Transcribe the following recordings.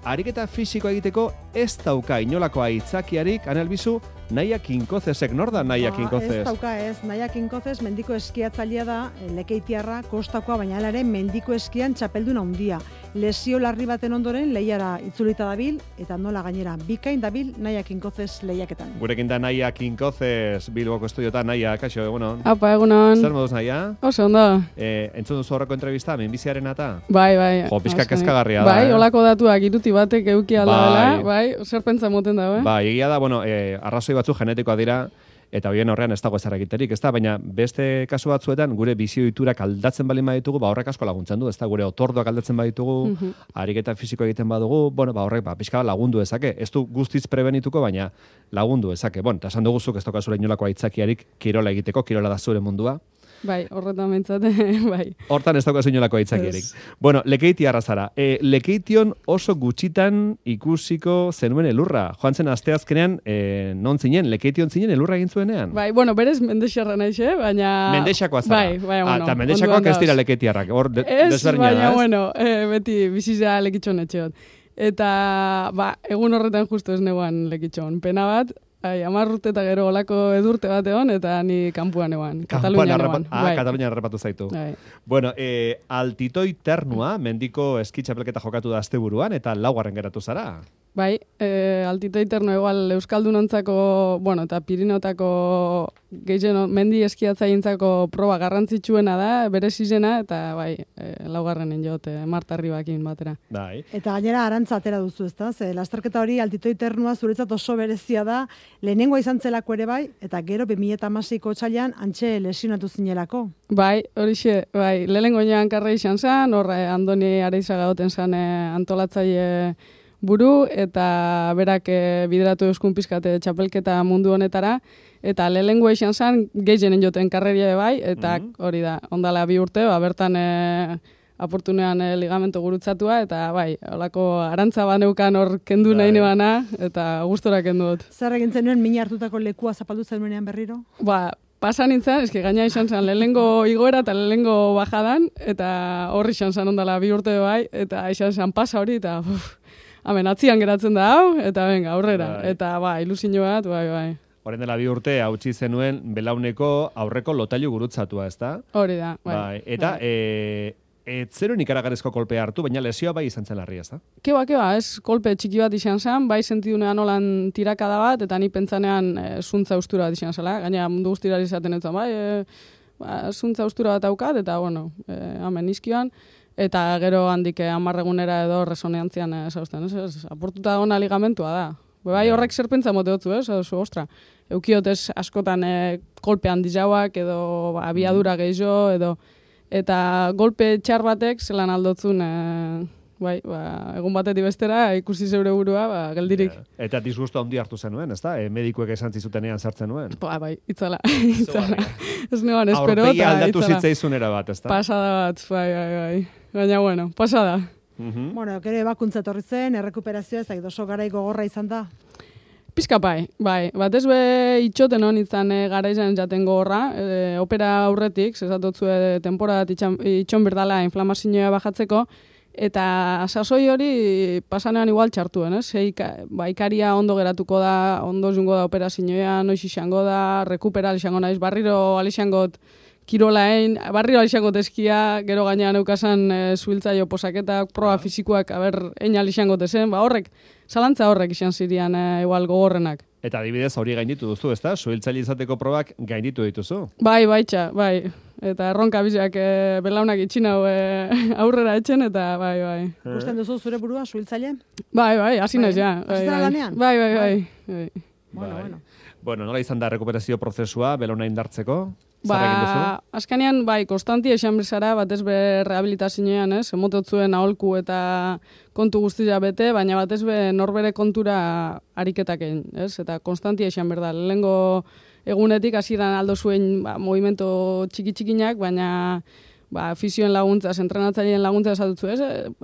ariketa fisikoa egiteko ez dauka inolako aitzakiarik, Anelbizu, Naia Kinkozesek, nor da Naia Kinkozes? Ez dauka ez, Naia Kinkozes mendiko eskiatzailea da, lekeitiarra, kostakoa, baina ere mendiko eskian txapeldun handia. Lesio larri baten ondoren lehiara itzulita dabil, eta nola gainera, bikain dabil Naia Kinkozes lehiaketan. Gurekin da Naia Kinkozes, Bilboko estudiotan, Naia, kaixo, egunon. Apa, egunon. Zer moduz, Naia? Oso, ondo. Entzun duzu horreko entrevista, minbiziaren ata? Bai. Jo, pixka kezkagarria da. Bai, olako datuak iruti batek euki aldala, bai, zer pentsa moten da, Bai, egia da, arrazoi batzu genetikoa dira, eta horien horrean ez dago ezer egiterik, ez da, baina beste kasu batzuetan gure bizioiturak aldatzen balin baditugu, horrek asko laguntzen du, ez da, gure otorduak aldatzen baditugu, ariketa fisiko egiten badugu, horrek pixka lagundu ezake, ez du guztiz prebenituko, baina lagundu ezake. Eta esan duguzuk ez dokazura inolako aitzakiarik kirola egiteko, kirola da zure mundua. Bai, horretan mentzate, bai. Hortan ez daukazu inolako aitzakiarik. Lekeiti arrazara. Lekeition oso gutxitan ikusiko zenuen elurra. Joan zen asteazkenean, non zinen, Lekeition zinen elurra egin zuenean? Bai, berez mendexarra naiz, baina... Mendexakoa zara. Bai, eta mendexakoak ez dira lekeitiarrak. Ez, baina, beti bizizea lekitxon etxeot. Eta, egun horretan justu ez neguan lekitxon. Pena bat, 10 urte eta gero olako edurte bat egon, eta ni kanpuan egon, Katalunian egon. Katalunian errepatu zaitu. Altitoi Ternua, mendiko eskitxapelketa jokatu da asteburuan, eta 4. geratu zara. Bai, Altitoi Ternua igual Euskaldunontzako, eta Pirinotako gehien mendi eskiatzaintzako proba garrantzitsuena da, bere izena, eta bai, 4. jot, Marta Ribakin batera. Bai. Eta gainera arantza atera duzu, ezta? Ze lasterketa hori Altitoi Ternua zuretzat oso berezia da, lehenengoa izan zelako ere bai, eta gero 2016ko otsailean antxe lesionatu zinelako. Bai, horixe, bai, lehenengoan karra izan zen, Andoni Areizaga goten zen antolatzaile buru, eta berak bideratu euskun pizkate txapelketa mundu honetara, eta lehenengoa izan zen gehienen joten karreria bai, eta hori da, ondala 2 urte, bertan aportunean ligamento gurutzatua, eta bai, holako arantza baneukan hor kendu nahi nebana, eta gustora kendu dut. Zer egin zenuen mina hartutako lekua zapaldu zenuenean berriro? Pasa nintzen, gaina izan zen lehenengo igoera eta lehenengo bajadan, eta horri izan zen ondala 2 urte bai, eta izan zen pasa hori, eta hemen atzian geratzen da hau, eta venga, aurrera, eta ilusio bat, bai. Horren dela 2 urte, hautsi zenuen belauneko aurreko lotailu gurutzatua, ez da? Hori da, bai. Eta, zero ikaragarrizko kolpea hartu, baina lesioa bai izan zen larria, ez da? Keba, ez kolpe txiki bat izan zen, bai sentidunean holan tirakada bat, eta ni pentsanean zuntza ustura bat izan zela, gaina mundu guztirari izaten ez zuntza ustura bat aukat, eta hemen izkioan, eta gero handik 10 egunera edo resonantzian zauzten, aportuta gona ligamentua da. Bai, horrek zer pentsa mote dutzu, ostra. Eukiot ez askotan kolpe handi jauak, edo abiadura gehiago, edo eta golpe txar batek zelan aldotzun, egun batetik bestera, ikusi zeure burua, geldirik. Eta disgusto handi hartu zenuen, ez da? Medikuek esan zizutenean sartzen nuen. Bai, itzala. Ez neban espero, eta itzala. Aurpegi aldatu zitzaizunera bat, ez da? Pasada bat, bai. Baina, pasada. Gero ebakuntza etorri zen, errekuperazioa ez da, oso garai gogorra izan da. Pizka bai. Batez be itxoten hon izan gara izan jaten gogorra, opera aurretik, zezatotzue temporadat itxon berdala inflamazioa bajatzeko, eta sasoi hori pasanean igual txartuen, ez? Ikaria ondo geratuko da, ondo jungo da operazioa, noiz izango da, rekuperal izango naiz, barriro alixangot kirolain, barriro alixangot eskia, gero gainean eukasan zuhiltzaio posaketak, proba fizikoak, ein alixangot ezen, horrek, zalantza horrek izan zirian igual gogorrenak. Eta adibidez hori gainditu duzu, ezta? Zuhiltzaile izateko probak gainditu dituzu. Bai. Eta erronka bizak belaunak itxinau aurrera etxen, eta bai. Ikusten duzu zure burua, zuhiltzaile? Bai, hasi naiz, ja. Aztera lanean? Bai. Bueno, nola izan da rekuperazio prozesua, belauna indartzeko? Azkanean, konstantia esan bezara, batez be rehabilitazioan, emototzuen aholku eta kontu guztia bete, baina batez be norbere kontura ariketak egin, eta konstantia esan berda. Lehengo egunetik hasieran aldo zuen movimento txiki-txikinak, baina fisioen laguntza, entrenatzaileen laguntza esatutzu,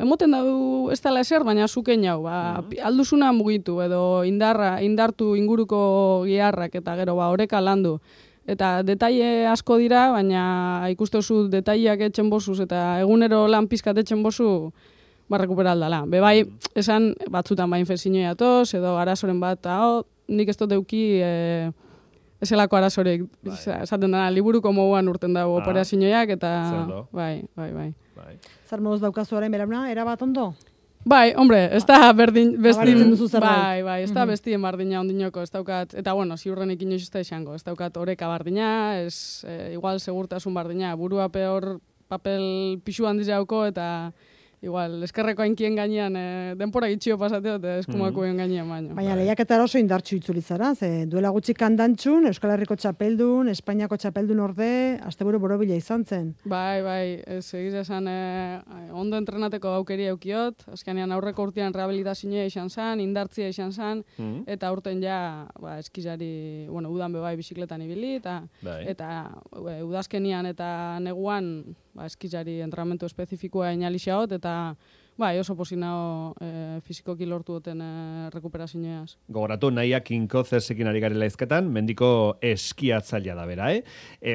emoten dau ez dela eser, baina zuken jau, alduzuna mugitu, edo indartu inguruko giharrak, eta gero oreka landu. Eta detaile asko dira, baina ikustezu detaileak etxen bozuz, eta egunero lan pizkat etxen bozu, rekupera aldala. Bai, esan batzutan ba infekzioa atoz, edo arazoren bat, nik ez dut euki eselako arazorik, esaten dena, liburuko moduan urten dago operazioak, eta bai. Zer moduz daukazu orain berauna, erabat ondo? Bai, hombre, ez da bestin, bai, ez da bestien bardina ondinoko, ez daukat, eta bueno, ziurrenik inoiz ez da izango, ez daukat oreka bardina, igual segurtasun bardina, burua peor papel pixu handiz jauko, eta igual, eskerreko hainkien gainean, denpora gitxio pasateo, eta eskumakoen gainean baino. Baina, lehiaketara oso indartxu itzulizara, ze duela gutxi kandantxun, Euskal Herriko txapeldun, Espainiako txapeldun orde, asteburu borobila izan zen. Bai, egiz esan, ondo entrenateko gaukeria eukiot, azkenean aurreko urtean rehabilitazioa izan zen, indartzia izan zen, eta urten ja, eskizari, udan bebai bizikletan ibili, eta udazkenian eta neguan, eskizari entrenamentu espezifikoa inalixaot, eta oso posinao fizikoki lortu duten rekuperazioaz. Gogoratu, Naia Kinkozesekin ari garela izketan, mendiko eskiatzailea da bera,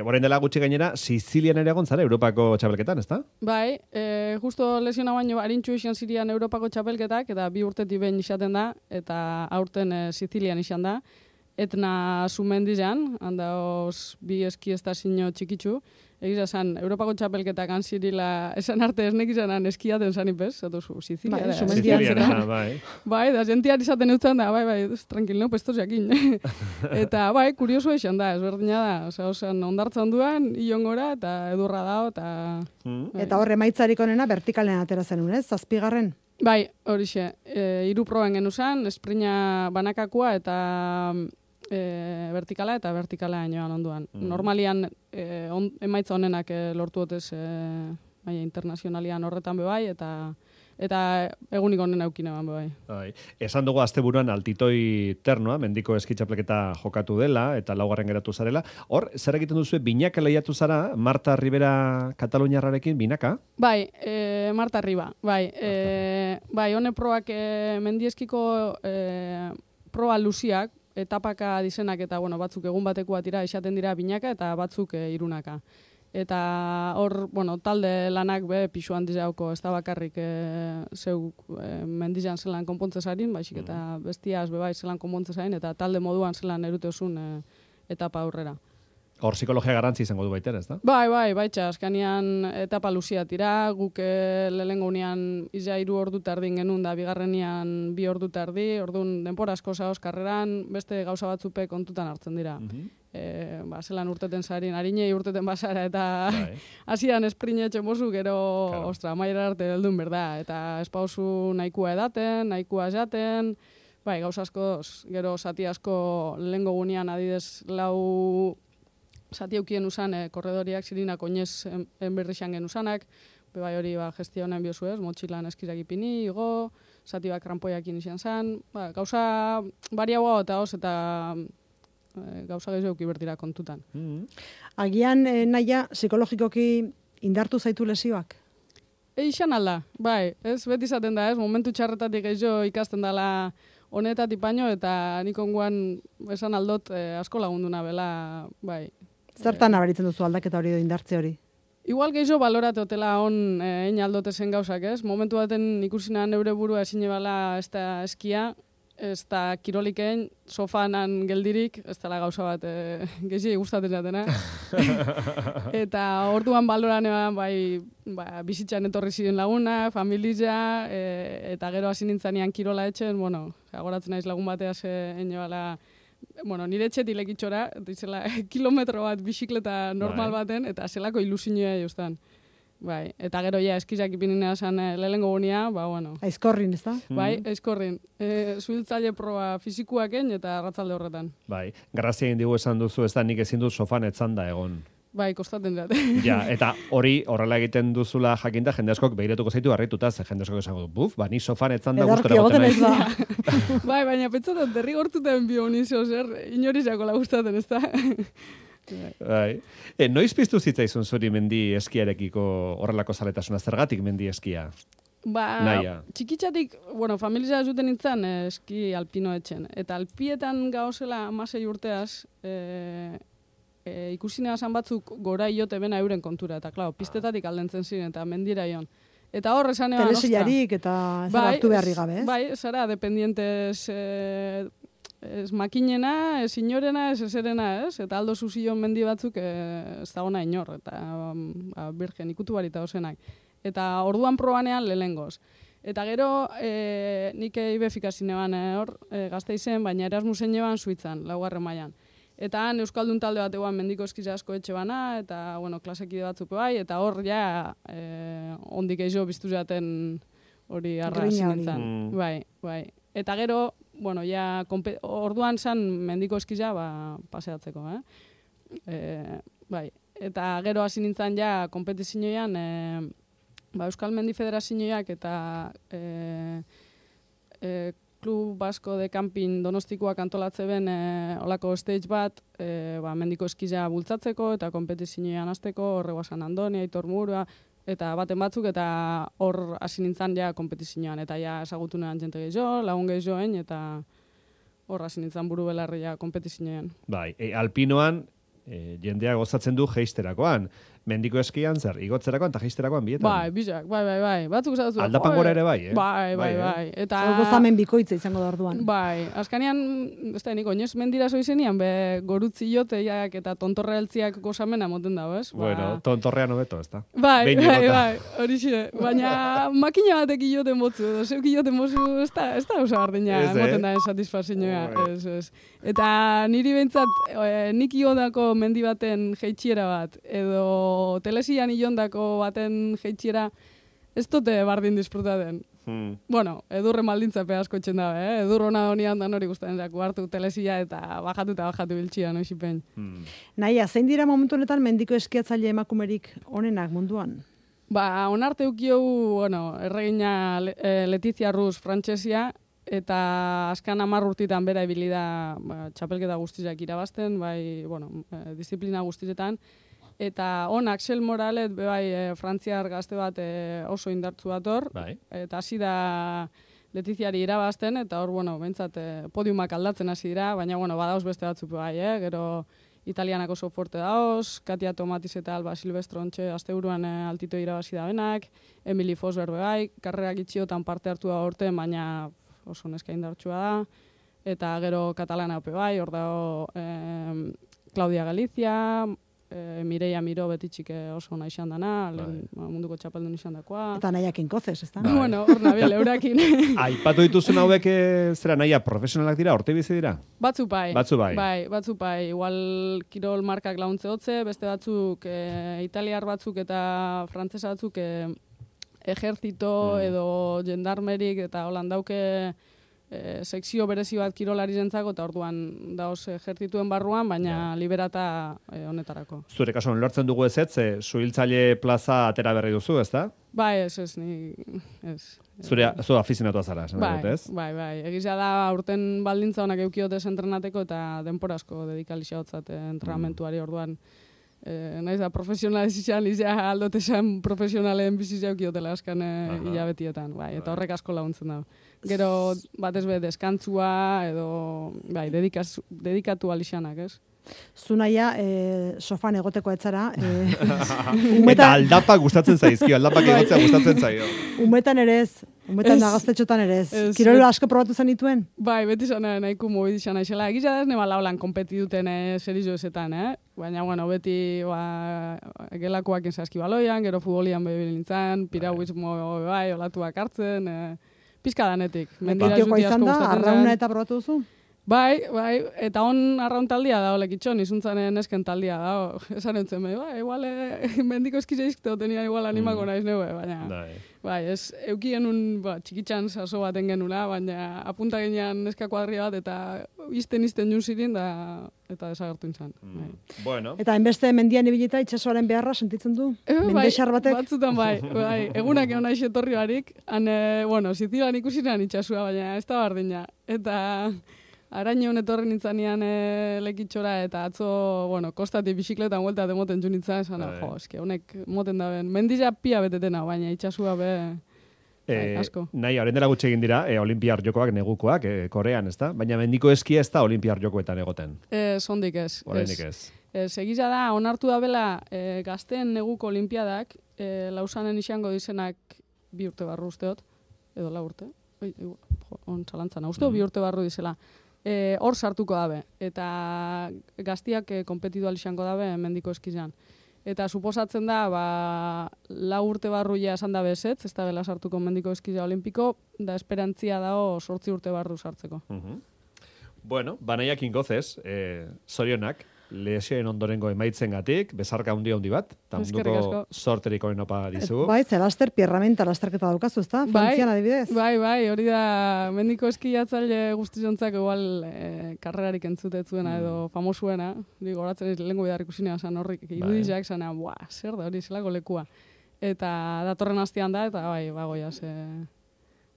Orain dela gutxi gainera, Sizilian ere egon zara, Europako txapelketan, ezta? Bai, justo lesiona baino harintxu izan zirian Europako txapelketak, eta 2 urtetik behin izaten da, eta aurten Sizilian izan da, Etna Zumendizan, handaoz 2 eskiestazio txikitzu, egiz esan, Europako txapelketak anzirila, esan arte esnek izanan eskiaten zanipez, zato Sizilia. Bai, da jentiar izaten eutzen da, bai, tranquil, no, pestos jakin. Eta, kurioso izan da, ezberdina da, osan, ondartzan duan, iongora, eta edurra dao, eta... Eta horre maitzarik onena, vertikalen atera zenun, ez? 7. Bai, horixe, 3 proben genuzan, esprina banakakua, eta... vertikala eta vertikala inoan onduan. Normalian emaitza honenak lortu dutez maila internazionalian horretan bebai, eta egunik honen aukine ban bebai. Esan dugu asteburuan altitoi ternoa, mendiko eskitxapleketa jokatu dela, eta 4. geratu zarela. Hor, zer egiten duzu, binaka lehiatu zara, Marta Ribera Kataluniarrarekin, binaka? Bai, Marta Riba, bai. Hone probak mendieskiko proba luziak, etapaka dizenak eta batzuk egun batekoa tira esaten dira binaka eta batzuk irunaka. Eta hor, talde lanak pixu handiz jauko, ez da bakarrik zeuk mendizan zelan konpontze zarin, baizik eta bestiaz bebai zelan konpontze zarin, eta talde moduan zelan eruteozun etapa aurrera. Hor psikologia garrantzi izango du baiter, ez da? Bai, azkanean etapa luzia tira, guk lehengo unean izia 3 ordu tardin genuen da, bigarrenian 2 ordu tardi, orduan denpora asko zaoz karreran, beste gauza batzupe kontutan hartzen dira. Zelan urteten zarin, harinei urteten basara, eta hasian esprinetxe mozu, gero, mailera arte heldun berda, eta espauzu nahikua edaten, nahikua esaten, gauza asko, gero zati asko lehengo gunean adidez 4 zati eukien usan, korredoriak zirinak oinez enberrixan gen usanak, bai hori gestionen biozu ez, motxilan eskirak ipini, igo, zati krampoiak izan zen, gauza bariagoa eta hoz, eta gauza gehiago euki bertira kontutan. Agian, Naia, psikologikoki indartu zaitu lesioak? Eixan alda, bai, ez beti izaten da, ez, momentu txarretatik gehiago ikasten dela honetatik baino, eta nik onguan esan aldot asko lagunduna bela, bai. Zertan nabaritzen duzu aldaketa hori edo indartze hori? Igual gehiago balorate hotela on egin aldote zen gauzak, ez? Momentu baten ikusinan neure burua ezin ebala ez da eskia, ez da kirolikein, sofanan geldirik, ez dela gauza bat gehiago gustatzen zatena. Eta orduan baloran eban, bizitzan etorri ziren laguna, familia, eta gero hasi nintzanean kirola etxen, agoratzen naiz lagun bateaz egin ebala, nire etxetik lekitxora, izela kilometro bat bizikleta normal baten, eta zelako ilusioa justan. Eta gero eskizak ipinina esan lehengo gunia, Aizkorrin, ez da? Bai, aizkorrin. Zuhiltzaile proba fizikuaken eta arratzalde horretan. Garrazia egin digu esan duzu, ez da nik ezin dut sofan etzanda egon. Kostaten dut. Eta hori horrela egiten duzula jakinda, jende askok behiratuko zaitu harrituta, ze jende askok esango du, ni sofan etzanda gustora boten naiz. Baina pentsatzen, derrigortuten bio nizio zer, inorizako lagustaten, ez da? Noiz piztu zitzaizun zuri mendi eskiarekiko horrelako zaletasuna, zergatik mendi eskia? Naia. Txikitzatik, familia zuten nintzen eski alpino etxen. Eta alpietan gauzela 16 urteaz, ikusinea esan batzuk gora iote bena euren kontura. Eta, klaro, pistetatik aldentzen ziren eta mendira ion. Eta hor esan eban, telesillarik eta ez hartu beharri gabe, ez? Bai, zara, dependientes ez makinena, ez inorena, ez eserena, ez? Eta aldo zuzio mendi batzuk ez dagoena inor, eta birgen ikutu barita osenak. Eta orduan probanean lehengoz. Eta gero, nik ibefikasin eban hor, Gasteizen, baina Erasmusen eban Suitzan, 4. mailan. Eta han Euskaldun talde bat eguan mendiko eskiza asko etxe bana, eta, bueno, klasekide batzuk bai, eta hor ja, ondik eixo biztu zaten hori arra zinintzen. Bai. Eta gero, bueno, ja, orduan zan mendiko eskiza, paseatzeko, bai. Eta gero hasi nintzen ja, kompetizioan, Euskal Mendi Federazioak eta Klub Basko de Camping Donostikoak antolatze ben olako stage bat, mendiko eskiza bultzatzeko eta kompetizioan hasteko, horreguasan Andoni, Aitor Murua, eta baten batzuk, eta hor hasi nintzen ja kompetizioan, eta ja esagutu nean jente gehiago, lagun gehiagoen, eta hor hasi nintzen buru belarri ja kompetizioan. Bai, alpinoan jendea gozatzen du jeisterakoan. Mendiko eskian zer, igotzerakoan eta jeisterakoan bietan. Bai, bizak, bai. Batzuk esatu. Aldapan gora ere bai, Bai. Eta gozamen bikoitza izango da orduan. Bai, azkanean, ez da, niko, oinez mendira zoizenian, gurutzioteiak eta tontorrealtziak gozamena moten dago, ez? Bueno, tontorrean hobeto, ez da? Bai, hori xire. Baina makina batek ioten botzu, edo zeuk ioten botzu, ez da oso gardena, moten da satisfazioa, ez. Eta niri behintzat, nik iodako mendi baten jeitxiera bat, edo telesian ilondako baten jeitxiera, ez dute bardin disfrutaten. Bueno, edurre maldintzape asko etxen dabe, edur hona honian da nori guztaren zako hartu telesia eta bajatu biltxia, no isipen. Naia, zein dira momentu honetan mendiko eskiatzaile emakumerik onenak munduan? Onarte ukiu, bueno, erregina Letizia Rus frantsesia, eta azkan 10 urtitan bera ibili da txapelketa guztizak irabazten, bai, bueno, disiplina guztizetan. Eta Axel Moralet, bai, frantziar gazte bat oso indartzu dator, eta hasi da Letiziari irabazten, eta hor, bueno, bentsat podiumak aldatzen hasi dira, baina, bueno, badauz beste batzuk bai, gero italianak oso fuerte daoz, Katia Tomatiz eta Alba Silvestro ontxe asteburuan altito irabazi da benak, Emily Fosberg bai, karrerak itxiotan parte hartu da orten, baina oso neska indartsua da, eta gero katalana ope bai, hor dago Claudia Galizia, Mireia Miro betitxik oso nahi izan dana, munduko txapeldun izan dakoa. Eta nahiak inkozes, ez da? Bueno, hor nabil, eurakin. Aipatu dituzun hauek zera nahiak profesionalak dira, orte bizi dira? Batzu bai. Batzu bai. Igual kirol markak launtze hotze, beste batzuk italiar batzuk eta frantzesa batzuk ejerzito edo jendarmerik eta holan dauke sekzio berezi bat kirolari zentzako, eta orduan daoz ejertzituen barruan, baina liberata honetarako. Zure kasuan lortzen dugu ez, suhiltzaile plaza atera berri duzu, ez da? Bai, ez. Zu afizionatua zara, esan dut, ez? Bai. Egizia da urten baldintza honak eukiotes entrenateko eta denporazko dedikalizia hotzat entrenamentuari orduan. Naiz da profesional izan, aldote esan profesionalen bizizia eukiotela askan hilabetietan, bai, eta horrek asko laguntzen da. Gero batez be deskantzua edo bai, dedikatu alixanak, ez? Zunaia, sofan egoteko etzara. Eta aldapa gustatzen zaizkio, aldapak egotzea gustatzen zaio. Umetan ere ez, umetan da gaztetxotan ere ez. Kirol asko probatu zenituen? Bai, beti zan nahiko mobidu izan naizela. Egizia da ez nema laulan kompetiduten serizoesetan, baina, bueno, beti gelakoak enzaski baloian, gero futbolian bebil nintzen, piragüismo bai, olatuak hartzen, pizkadanetik. Menditioko izan da, arrauna eta probatu duzu? Bai, eta on arraun taldia da, olekitxon, izuntzaren esken taldia da, esan entzen igual, mendiko eskizeizkto tenia igual animako naiz neue, baina, bai, ez, eukien txikitxan saso baten genula, baina apunta ginean neska kuadria bat, eta izten jun zirin, eta desagertu intzan. Bueno. Eta enbeste mendian ibilita itxasoaren beharra sentitzen du? Mendexar batek? Batzutan bai, egunak egon nahi etorri barik, bueno, zizilan ikusinan itxasua, baina ez da bardina, eta araño etorri nintzanean lekitxora, eta atzo, bueno, kostati bizikletan huelta demoten ju nintzen, esan, eske, honek moten da ben. Mendila pia betetena, baina itxasua be asko. Nahi, horren dela gutxe egin dira, olimpiar jokoak negukoak, Korean, ez da? Baina mendiko eskia ez da olimpiar jokoetan egoten. Sondik ez. Oraindik ez. Segiza da, onartu da bela gazteen neguko olimpiadak, Lausanen izango dizenak 2 urte barru usteot, edo 4 urte, on txalantzana, usteo 2 urte barru dizela. Hor sartuko dabe, eta gaztiak konpetitu alixango dabe mendiko eskizan. Eta suposatzen da, 4 urte barru ja esan dabe esetz, ez da bela sartuko mendiko eskiza olimpiko, da esperantzia dao 8 urte barru sartzeko. Bueno, banaiak ingozez, zorionak, lesioen ondorengo emaitzengatik, bezarka handi bat, eta munduko sorterik honen opa dizu. Bai, zelaster pierramenta lasterketa daukazu, ez da? Frantzian adibidez. Bai, hori da, mendiko eskiatzaile guztizontzak igual karrerarik entzutetzuena edo famosuena, goratzen lehenko bidar ikusinean zan horrik, irudizak zanean, zer da hori zelako lekua. Eta datorren hastian da, eta bai, bagoiaz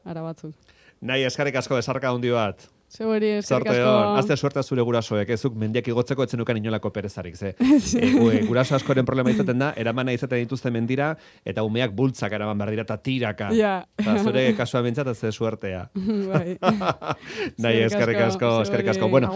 ara batzuk. Nahi, eskarrik asko bezarka handi bat. Zeberi, eskerrik asko. Azte suerta zure gurasoek, ezuk mendiak igotzeko etzenukan inolako perezarik, ze. Guraso askoren problema izaten da, eramana izaten dituzte mendira, eta umeak bultzak eraman behar dira, eta tiraka. Eta zure kasua bintzat, ez suertea. Bai. Nahi, eskerrik asko. Bueno,